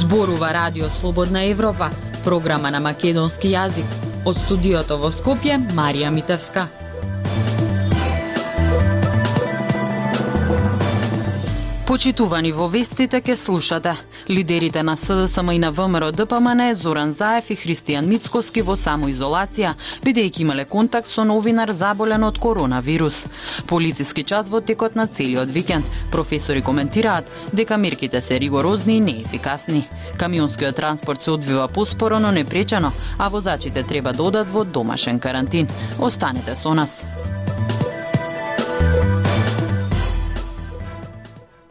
Зборува Радио Слободна Европа, програма на македонски јазик. Од студиото во Скопје, Марија Митевска. Почитувани во вестите ке слушате. Лидерите на СДСМ и на ВМРО ДПМН Зоран Заев и Христијан Мицкоски во самоизолација, бидејќи имале контакт со новинар заболен од коронавирус. Полициски час во текот на целиот викенд. Професори коментираат дека мерките се ригорозни и неефикасни. Камионскиот транспорт се одвива поспоро, но непречено, а возачите треба да одат во домашен карантин. Останете со нас.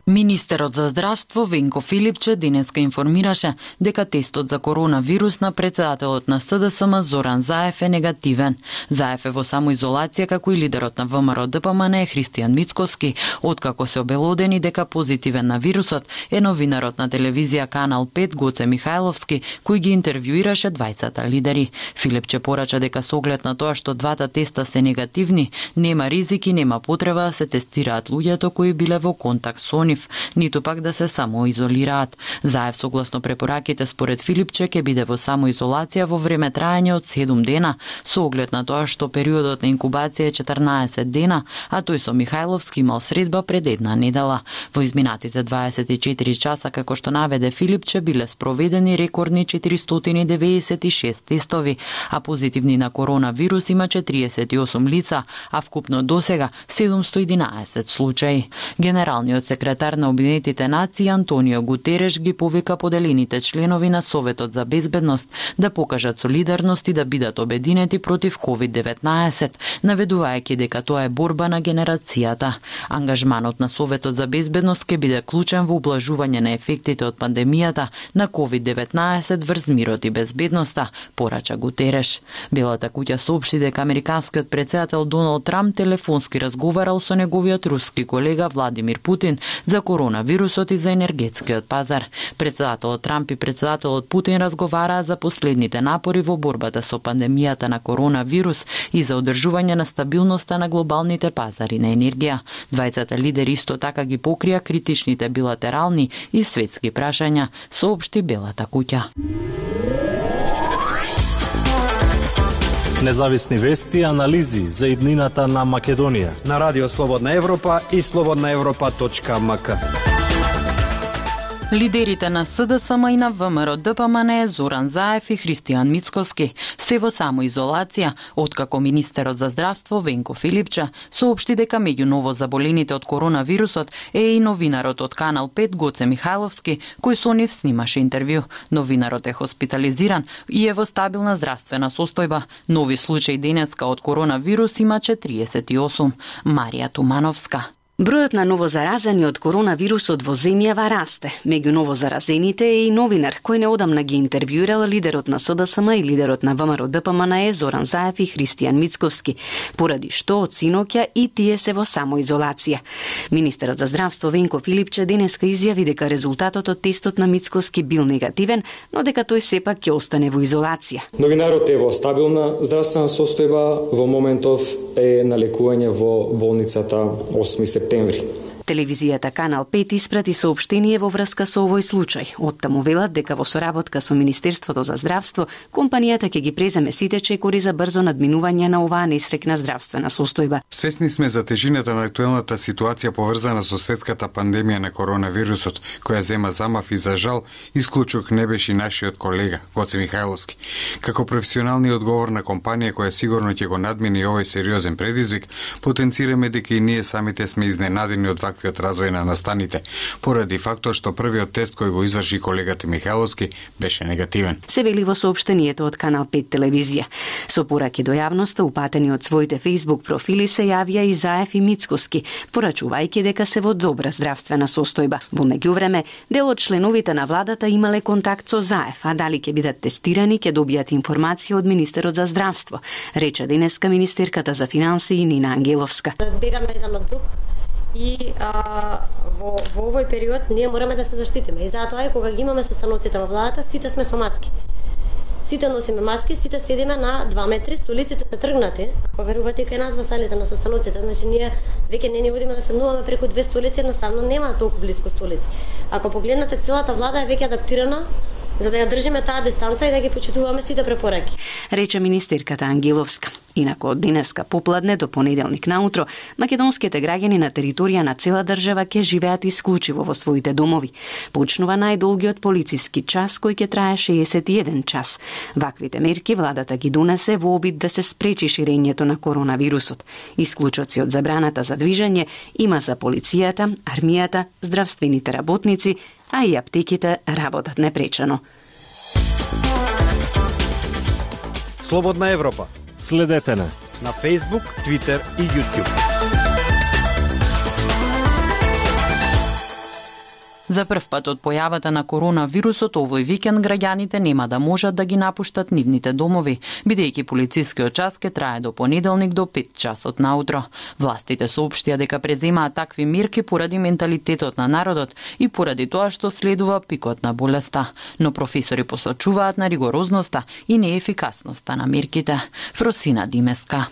Министерот за здравство Венко Филипче денеска информираше дека тестот за коронавирус на председателот на СДСМ Зоран Заев е негативен. Заев е во самоизолација, како и лидерот на ВМРО ДПМН Христијан Мицкоски, откако се обелодени дека позитивен на вирусот е новинарот на телевизија Канал 5 Гоце Михајловски, кој ги интервјуираше двајцата лидери. Филипче порача дека со оглед на тоа што двата теста се негативни, нема ризик и нема потреба да се тестираат луѓето кои биле во контакт со нив, ниту пак да се самоизолираат. Заев согласно препораките според Филипче ќе биде во самоизолација во време трајање од 7 дена, со оглед на тоа што периодот на инкубација е 14 дена, а тој со Михајловски имал средба пред една недела. Во изминатите 24 часа, како што наведе Филипче, биле спроведени рекордни 496 тестови, а позитивни на коронавирус има 48 лица, а вкупно досега 711 случаи. Генералниот секретар на Обединетите нации Антонио Гутереш ги повика поделените членови на Советот за безбедност да покажат солидарност и да бидат обединети против COVID-19, наведувајќи дека тоа е борба на генерацијата. Ангажманот на Советот за безбедност ќе биде клучен во ублажување на ефектите од пандемијата на COVID-19 врз мирот и безбедноста, порача Гутереш. Белата куќа соопшти дека американскиот председател Доналд Трамп телефонски разговарал со неговиот руски колега Владимир Путин за коронавирусот и за енергетскиот пазар. Председателот Трамп и председателот Путин разговараа за последните напори во борбата со пандемијата на коронавирус и за одржување на стабилноста на глобалните пазари на енергија. Двајцата лидери исто така ги покрија критичните билатерални и светски прашања, соопшти Белата куќа. Независни вести и анализи за иднината на Македонија на Радио Слободна Европа и slobodnaevropa.mk. Лидерите на СДСМ и на ВМРО ДПМН Зоран Заев и Христијан Мицкоски се во самоизолација, откако министерот за здравство Венко Филипче соопшти дека меѓу новозаболените од коронавирусот е и новинарот од Канал 5 Гоце Михајловски, кој со нив снимаше интервју. Новинарот е хоспитализиран и е во стабилна здравствена состојба. Нови случаи денеска од коронавирус има 48. Марија Тумановска. Бројот на новозаразени од коронавирусот во земјава расте. Меѓу новозаразените е и новинар, кој неодамна ги интервјуирал лидерот на СДСМ и лидерот на ВМРО ДПМН Зоран Заев и Христијан Мицкоски, поради што од синоќа и тие се во самоизолација. Министерот за здравство Венко Филипче денеска изјави дека резултатот од тестот на Мицкоски бил негативен, но дека тој сепак ќе остане во изолација. Новинарот е во стабилна здравствена состојба, во моментов е на лекување во болницата 8 септември. Телевизијата Канал 5 испрати соопштение во врска со овој случај. Оттаму велат дека во соработка со Министерството за здравство, компанијата ќе ги преземе сите чекори за брзо надминување на оваа несрекна здравствена состојба. Свесни сме за тежината на актуелната ситуација поврзана со светската пандемија на коронавирусот, која зема замав и за жал исклучок не беше нашиот колега Гоце Михајловски. Како професионални одговор на компанија која сигурно ќе го надмини овој сериозен предизвик, потенцираме дека и ние самите сме изненадени од ваквиот развој на настаните, поради фактот што првиот тест кој го изврши колегата Михајловски беше негативен. Се вели во соопштението од Канал 5 телевизија. Со пораки до јавноста упатени од своите Facebook профили се јавија и Заев и Мицкоски, порачувајќи дека се во добра здравствена состојба. Во меѓувреме, дел од членовите на владата имале контакт со Заев, а дали ќе бидат тестирани ќе добијат информација од Министерот за здравство, рече денеска министерката за финансии Нина Ангеловска. Бегаме еден од друг. И во овој период ние мораме да се заштитиме. И затоа е кога ги имаме состаноците во владата, сите сме со маски. Сите носиме маски, сите седиме на 2 метри, столиците се тргнати. Ако верувате кај нас во салите на состаноците, значи ние веќе не ни одиме да седнуваме преку 2 столици, едноставно нема толку блиску столици. Ако погледнете, целата влада е веќе адаптирана за да ја држиме таа дистанца и да ги почитуваме сите препораки. Рече министерката Ангеловска. Инаку од денеска попладне до понеделник наутро, македонските граѓани на територија на цела држава ќе живеат исклучиво во своите домови. Почнува најдолгиот полициски час кој ќе трае 61 час. Ваквите мерки владата ги донесе во обид да се спречи ширењето на коронавирусот. Исклучоци од забраната за движење има за полицијата, армијата, здравствените работници, а и аптеките работат непречено. Слободна Европа. Следете на Facebook, Twitter и YouTube. За прв пат од појавата на коронавирусот овој викенд граѓаните нема да можат да ги напуштат нивните домови, бидејќи полицискиот час ќе трае до понеделник до 5 часот наутро. Властите соопштија дека преземаат такви мерки поради менталитетот на народот и поради тоа што следува пикот на болеста, но професори посочуваат на ригорозноста и неефикасноста на мерките. Фросина Димеска.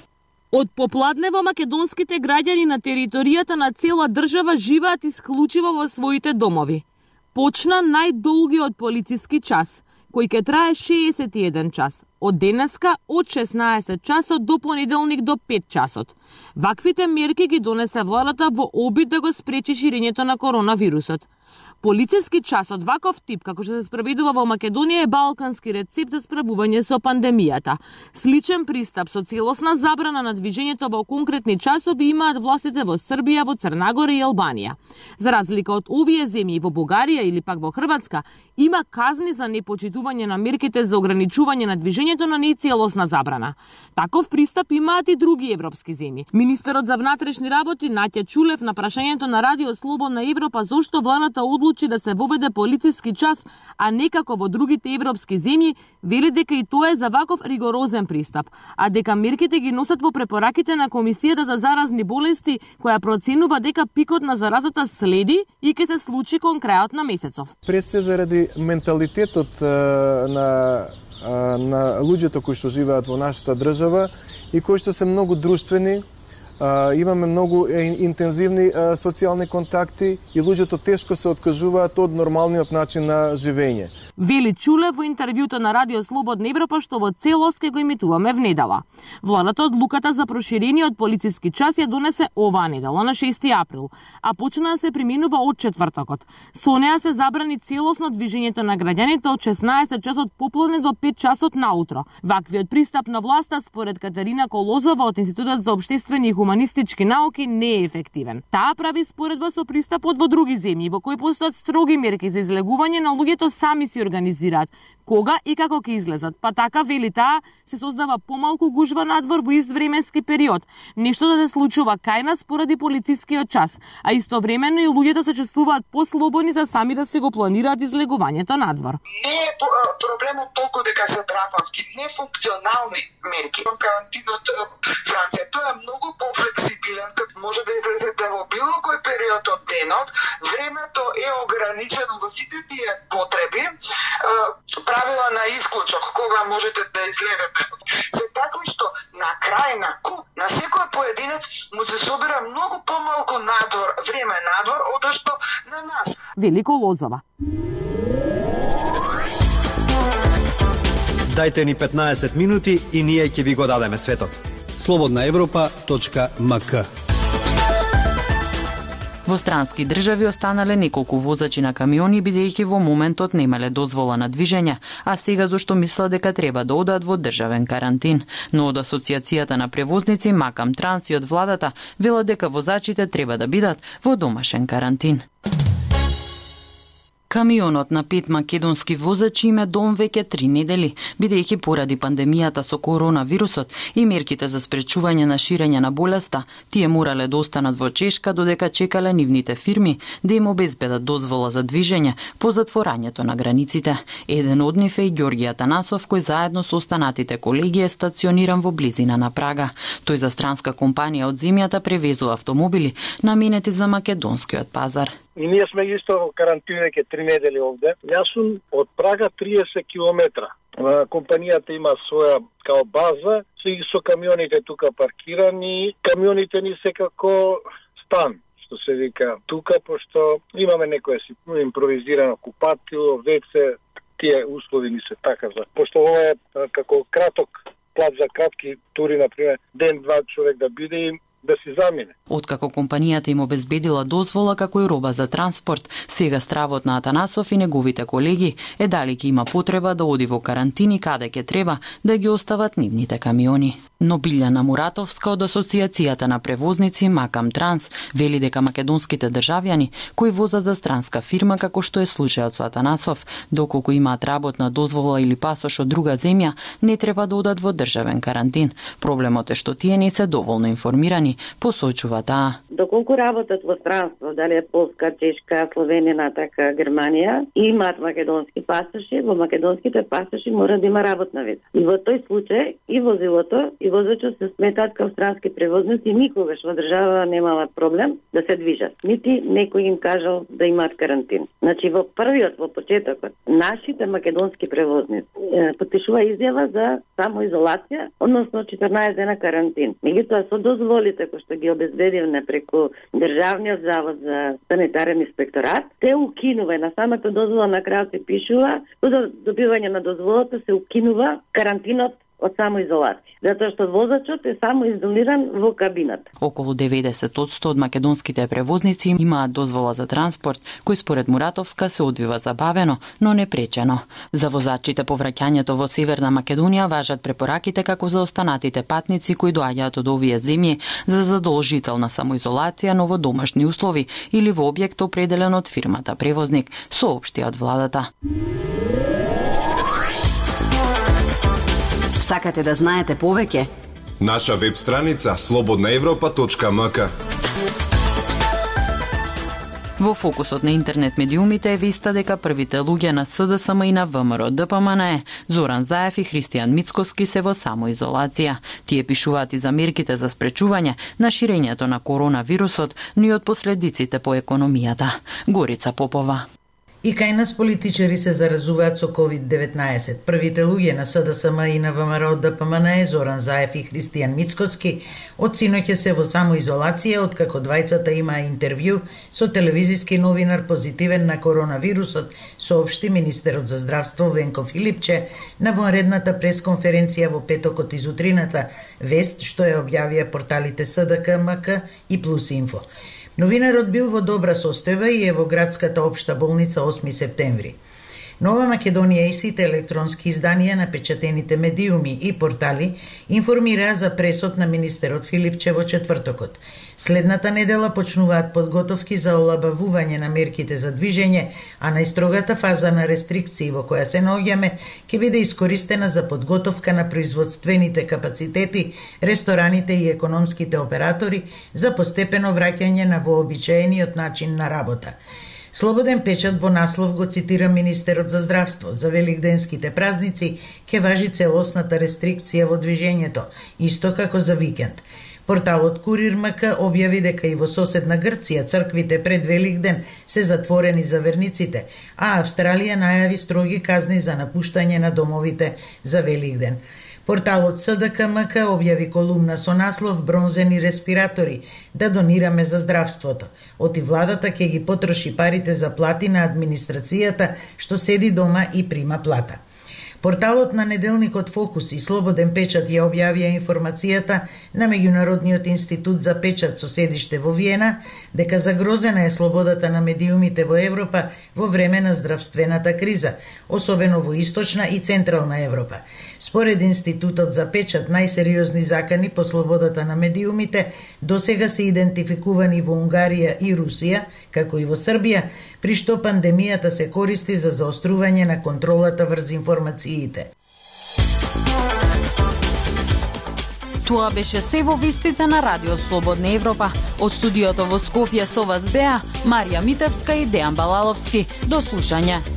Од попладнево македонските граѓани на територијата на цела држава живеат исклучиво во своите домови. Почна најдолгиот полициски час, кој ќе трае 61 час, од денеска од 16 часот до понеделник до 5 часот. Ваквите мерки ги донесе владата во обид да го спречи ширењето на коронавирусот. Полициски час од ваков тип, како што се спроведува во Македонија, е балкански рецепт за справување со пандемијата. Сличен пристап со целосна забрана на движењето во конкретни часови имаат властите во Србија, во Црна Гора и Албанија. За разлика од овие земји во Бугарија или пак во Хрватска, има казни за непочитување на мерките за ограничување на движењето, но не и целосна забрана. Таков пристап имаат и други европски земји. Министерот за внатрешни работи Наќа Чулев на прашањето на Радио Слободна Европа зошто владата одлучи да се воведе полициски час, а не како во другите европски земји, вели дека и тоа е за ваков ригорозен пристап, а дека мерките ги носат во препораките на Комисијата за заразни болести, која проценува дека пикот на заразата следи и ќе се случи кон крајот на месецов. Пред се заради менталитетот на луѓето кои што живеат во нашата држава и кои што се многу друштвени, имаме многу интензивни социјални контакти и луѓето тешко се откажуваат од нормалниот начин на живење. Вели Чуле во интервјуто на Радио Слободна Европа што во целост ќе го емитуваме внедела. Владата одлуката за проширениот полициски час ја донесе оваа недела на 6 април, а почна да се применува од четвртокот. Со неа се забрани целосно движењето на граѓаните од 16 часот попладне до 5 часот наутро. Ваквиот пристап на власта според Катерина Колозова од Институтот за општествени и хуманистички науки не е ефективен. Таа прави споредба со пристапот во други земји во кои постојат строги мерки за излегување, на луѓето сами си организираат кога и како ќе излезат. Па така, вели таа, се создава помалку гужва надвор во иствременски период. Нешто да се случува кај нас поради полицискиот час, а истовремено и луѓето се чувствуваат послободни за сами да се го планираат излегувањето надвор. Не е проблемот толку дека се драконски, нефункционални мерки. Карантинот Франција, тоа е многу пофлексибилен, како може да излезете во било кој период од денот, времето е ограничено за сите тие потреби, правила на исклучок, кога можете да излезете. Се такви што на крај на куп, на секој поединец му се собира многу помалку надвор, време надвор, одошто што на нас. Велико Лозова. Дайте ни 15 минути и ние ќе ви го дадеме светот. slobodnaevropa.mk. Во странски држави останале неколку возачи на камиони бидејќи во моментот немале дозвола на движење, а сега зашто мислат дека треба да одат во државен карантин. Но од Асоциацијата на превозници Макам Транс и од владата велат дека возачите треба да бидат во домашен карантин. Камионот на 5 македонски возачи им е дом веќе 3 недели, бидејќи поради пандемијата со коронавирусот и мерките за спречување на ширење на болеста, тие морале да останат во Чешка додека чекале нивните фирми да им обезбедат дозвола за движење по затворањето на границите. Еден од нив е и Ѓорги Атанасов, кој заедно со останатите колеги е стациониран во близина на Прага. Тој за странска компанија од земјата превезува автомобили наменети за македонскиот пазар. И ние сме исто во карантина веќе 3 недели овде. Јас сум од Прага 30 километра. Компанијата има своја као база, со камионите тука паркирани. Камионите ни се како стан, што се вика тука, пошто имаме некоја импровизирано купатило, веце, тие услови ни се така за. Пошто ова е како краток плат за кратки тури, например, ден-два човек да биде и да си замине. Откако компанијата им обезбедила дозвола како и роба за транспорт, сега стравот на Атанасов и неговите колеги е дали ќе има потреба да оди во карантини каде ќе треба да ги остават нивните камиони. Но Билјана Муратовска од Асоциацијата на превозници Макам Транс вели дека македонските државјани кои возат за странска фирма како што е случајот со Атанасов, доколку имаат работна дозвола или пасош од друга земја, не треба да одат во државен карантин. Проблемот е што тие не се доволно информирани, посочува таа. Доколку работат во странство, дали е Полска, Чешка, Словенија, така Германија, и имаат македонски пасоши, во македонските пасоши мора да има работна виза. И во тој случај и возилото и возачот се сметаат како странски превозници и никогаш во држава немаат проблем да се движат. Нити некој им кажал да имаат карантин. Значи во првиот, во почетокот, нашите македонски превозници потпишува изјава за самоизолација, односно 14 дена карантин. Меѓутоа со дозволите кои што ги обезбедивме преку Државниот завод за санитарен инспекторат, те укинува на самата дозвола на крајот се пишува, до добивање на дозволата се укинува карантинот од самоизолација, затоа што возачот е самоизолиран во кабината. Околу 90% од македонските превозници имаат дозвола за транспорт, кој според Муратовска се одвива забавено, но не пречено. За возачите по враќањето во Северна Македонија важат препораките како за останатите патници кои доаѓаат од овие земји за задолжителна самоизолација, но во домашни услови или во објект определен од фирмата превозник, соопшти од владата. Сакате да знаете повеќе? Наша веб страница slobodnaevropa.mk. Во фокусот на интернет медиумите е веста дека првите луѓе на СДСМ и на ВМРО ДПМН Зоран Заев и Христијан Мицкоски се во самоизолација. Тие пишуваат и за мерките за спречување на ширењето на коронавирусот, но и од последиците по економијата. Горица Попова. И кај нас политичари се заразуваат со COVID-19. Првите луѓе на СДСМ и на ВМРО ДПМН Зоран Заев и Христијан Мицкоски од синоќа се во самоизолација откако двајцата имаа интервју со телевизиски новинар позитивен на коронавирусот, соопшти министерот за здравство Венко Филипче на вонредната пресконференција во петокот изутрината, вест што ја објавија порталите СДК, МК и Плюс Инфо. Новинарот бил во добра состојба и е во градската општа болница 8 септември. Нова Македонија и сите електронски изданија на печатените медиуми и портали информираа за пресот на министерот Филипче во четвртокот. Следната недела почнуваат подготовки за олабавување на мерките за движење, а најстрогата фаза на рестрикции во која се наоѓаме ќе биде искористена за подготовка на производствените капацитети, рестораните и економските оператори за постепено враќање на вообичаениот начин на работа. Слободен печат во наслов го цитира министерот за здравство. За великденските празници ќе важи целосната рестрикција во движењето, исто како за викенд. Порталот Курир МК објави дека и во соседна Грција црквите пред Великден се затворени за верниците, а Австралија најави строги казни за напуштање на домовите за Великден. Порталот СДК МК објави колумна со наслов "Бронзени респиратори да донираме за здравството". Оти владата ќе ги потроши парите за плати на администрацијата што седи дома и прима плата. Порталот на неделникот Фокус и Слободен печат ја објавија информацијата на Меѓународниот институт за печат со седиште во Виена дека загрозена е слободата на медиумите во Европа во време на здравствената криза, особено во Источна и Централна Европа. Според институтот за печат, најсериозни закани по слободата на медиумите досега се идентификувани во Унгарија и Русија, како и во Србија, при што пандемијата се користи за заострување на контролата врз информациите. Тоа беше се во вестите на Радио Слободна Европа. Од студиото во Скопје со вас беа Марија Митевска и Дејан Балаловски. До слушање.